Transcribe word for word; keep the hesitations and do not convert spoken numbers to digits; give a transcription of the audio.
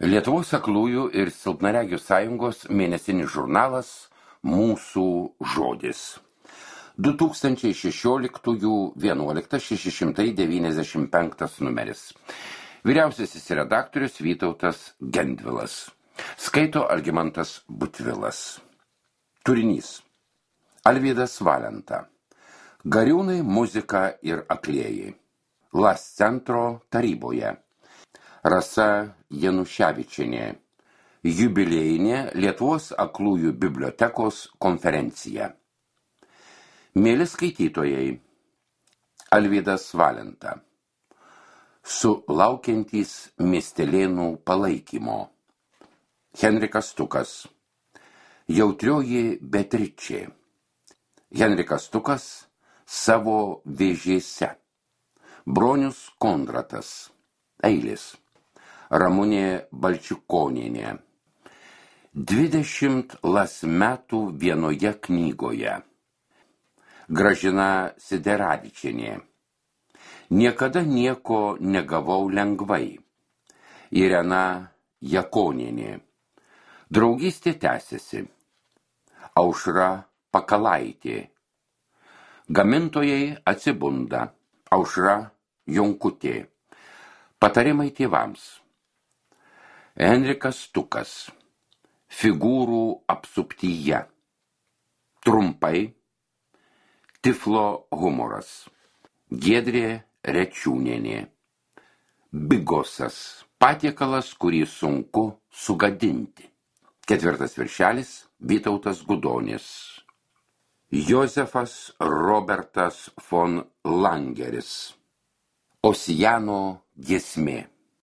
Lietuvos aklųjų ir silpnaregių sąjungos mėnesinis žurnalas Mūsų žodis. du tūkstančiai šešioliktųjų vienuoliktas šeši šimtai devyniasdešimt penktas numeris. Vyriausiasis redaktorius Vytautas Gendvilas. Skaito Algimantas Butvilas. Turinys. Alvydas Valenta. Gariūnai, muzika ir aklieji. Las centro taryboje. Rasa Januševičienė. Jubiliejinė Lietuvos aklųjų bibliotekos konferencija. Mėly skaitytojai, Alvydas Valenta. Sulaukiantys miestelėnų palaikymo. Henrikas Stukas. Jautrioji Beatričė. Henrikas Stukas savo vėžėse. Bronius Kondratas. Eilis. Ramunė Balčikonienė. Dvidešimt las metų vienoje knygoje. Gražina Sideravičienė. Niekada nieko negavau lengvai. Irena Jakonienė. Draugystė tęsiasi. Aušra Pakalaitė. Gamintojai atsibunda. Aušra Jonkutė. Patarimai tėvams. Henrikas Stukas. Figūrų apsuptyje. Trumpai. Tiflo humoras. Giedrė Rečiūnienė. Bigosas. Patiekalas, kurį sunku sugadinti. Ketvirtas viršelis. Vytautas Gudonis. Jozefas Robertas von Langeris. Osijano giesmė.